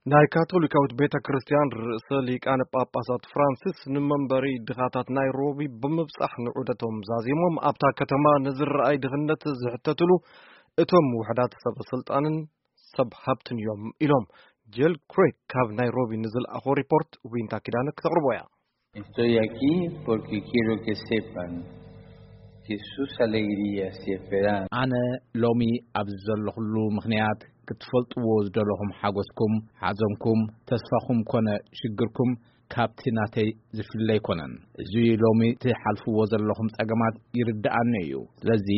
ናይ ካቶሊካዊት ቤተ ክርስቲያን ርእሰ ሊቃነ ጳጳሳት ፍራንሲስ ንመንበሪ ድኻታት ናይሮቢ ብምብጻሕ ንዑደቶም ዛዚሞም፣ ኣብታ ከተማ ንዝረኣይ ድኽነት ዝሕተትሉ እቶም ውሕዳት ሰብ ስልጣንን ሰብ ሃብትን እዮም ኢሎም። ጄል ክሬግ ካብ ናይሮቢ ንዝለኣኾ ሪፖርት ዊንታ ኪዳነ ክተቕርቦ እያ። Estoy aquí porque quiero que sepan que sus alegrías y esperanzas ኣነ ሎሚ ኣብዚ ዘለኹሉ ምኽንያት ክትፈልጥዎ ዝደለኹም ሓጎስኩም፣ ሓዘንኩም፣ ተስፋኹም ኮነ ሽግርኩም ካብቲ ናተይ ዝፍለ ኣይኮነን። እዚ ሎሚ ትሓልፍዎ ዘለኹም ጸገማት ይርድኣኒ እዩ። ስለዚ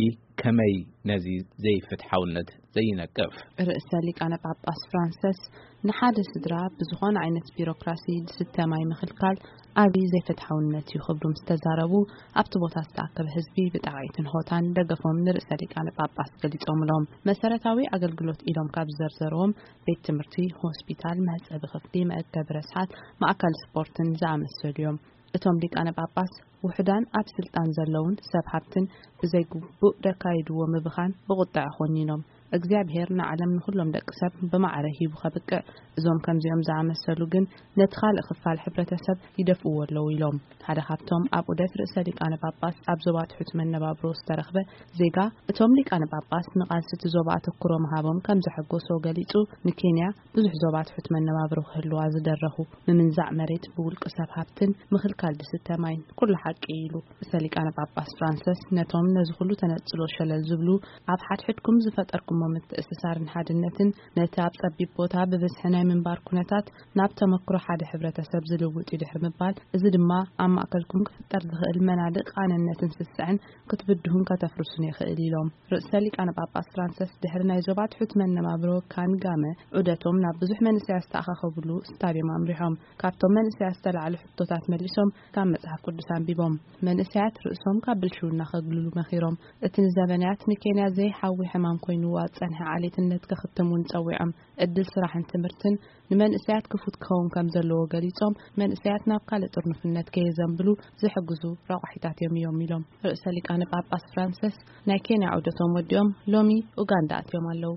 ከመይ ነዚ ዘይፍትሓውነት ዘይነቅፍ? ርእሰ ሊቃነ ጳጳስ ፍራንሰስ ንሓደ ስድራ ብዝኾነ ዓይነት ቢሮክራሲ ዝስተ ማይ ምኽልካል ዓብዪ ዘይፍትሓውነት እዩ ክብሉ ምስ ተዛረቡ፣ ኣብቲ ቦታ ዝተኣከበ ህዝቢ ብጣቕዒትን ሆታን ደገፎም ንርእሰ ሊቃነ ጳጳስ ገሊጾምሎም። መሰረታዊ ኣገልግሎት ኢሎም ካብ ዝዘርዘርዎም ቤት ትምህርቲ፣ ሆስፒታል፣ መሕጸቢ ክፍሊ፣ መእከቢ ረስሓት፣ ማእከል ስፖርትን ዝኣመሰሉ እዮም። እቶም ሊቃነ ጳጳስ ውሑዳን ኣብ ስልጣን ዘለውን ሰብ ሃብትን ብዘይግቡእ ደካይድዎ ምብኻን ብቑጥዐ ኮኒኖም። እግዚኣብሔር ንዓለም ንኹሎም ደቂ ሰብ ብማዕረ ሂቡ ከብቅዕ፣ እዞም ከምዚኦም ዝኣመሰሉ ግን ነቲ ካልእ ክፋል ሕብረተሰብ ይደፍእዎ ኣለዉ ኢሎም። ሓደ ካብቶም ኣብ ዑደት ርእሰ ሊቃነ ጳጳስ ኣብ ዞባ ትሑት መነባብሮ ዝተረኽበ ዜጋ፣ እቶም ሊቃነ ጳጳስ ንቓልሲ እቲ ዞባ ኣተኩሮ ምሃቦም ከም ዘሐጎሶ ገሊጹ፣ ንኬንያ ብዙሕ ዞባ ትሑት መነባብሮ ክህልዋ ዝደረኹ፣ ምምንዛዕ መሬት ብውልቂ ሰብ ሃብትን ምኽልካል ዝስተ ማይን ኩሉ ሓቂ እዩ ኢሉ። ርእሰ ሊቃነ ጳጳስ ፍራንሰስ ነቶም ነዚ ኩሉ ተነጽሎ ሸለል ዝብሉ፣ ኣብ ሓድሕድኩም ዝፈጠርኩሞ ምትእስሳርን ሓድነትን ነቲ ኣብ ጸቢብ ቦታ ብብዝሒ ናይ ምንባር ኩነታት ናብ ተመክሮ ሓደ ሕብረተሰብ ዝልውጥ እዩ ድሕሪ ምባል፣ እዚ ድማ ኣብ ማእከልኩም ክፍጠር ዝኽእል መናድቕ ኣነነትን ስስዐን ክትብድሁን ከተፍርሱን ይኽእል ኢሎም። ርእሰ ሊቃነ ጳጳስ ፍራንሰስ ድሕሪ ናይ ዞባ ትሑት መነባብሮ ካንጋመ ዑደቶም ናብ ብዙሕ መንእሰያት ዝተኣኻኸብሉ ስታድዮም ኣምሪሖም። ካብቶም መንእሰያት ዝተላዕሉ ሕቶታት መሊሶም ካብ መጽሓፍ ቅዱስ ኣንቢቦም። መንእሰያት ርእሶም ካብ ብልሽውና ከግልሉ መኺሮም። እቲ ንዘበናያት ንኬንያ ዘይሓዊ ሕማም ኮይንዋ ዝጸንሐ ዓሌትነት ከኽትም እውን ጸዊዖም። ዕድል ስራሕን ትምህርትን ንመንእሰያት ክፉት ክኸውን ከም ዘለዎ ገሊጾም፣ መንእሰያት ናብ ካልእ ጥርኑፍነት ከየዘንብሉ ዝሕግዙ ረቋሒታት እዮም እዮም ኢሎም። ርእሰ ሊቃነ ጳጳስ ፍራንሰስ ናይ ኬንያ ዑደቶም ወዲኦም ሎሚ ኡጋንዳ ኣትዮም ኣለዉ።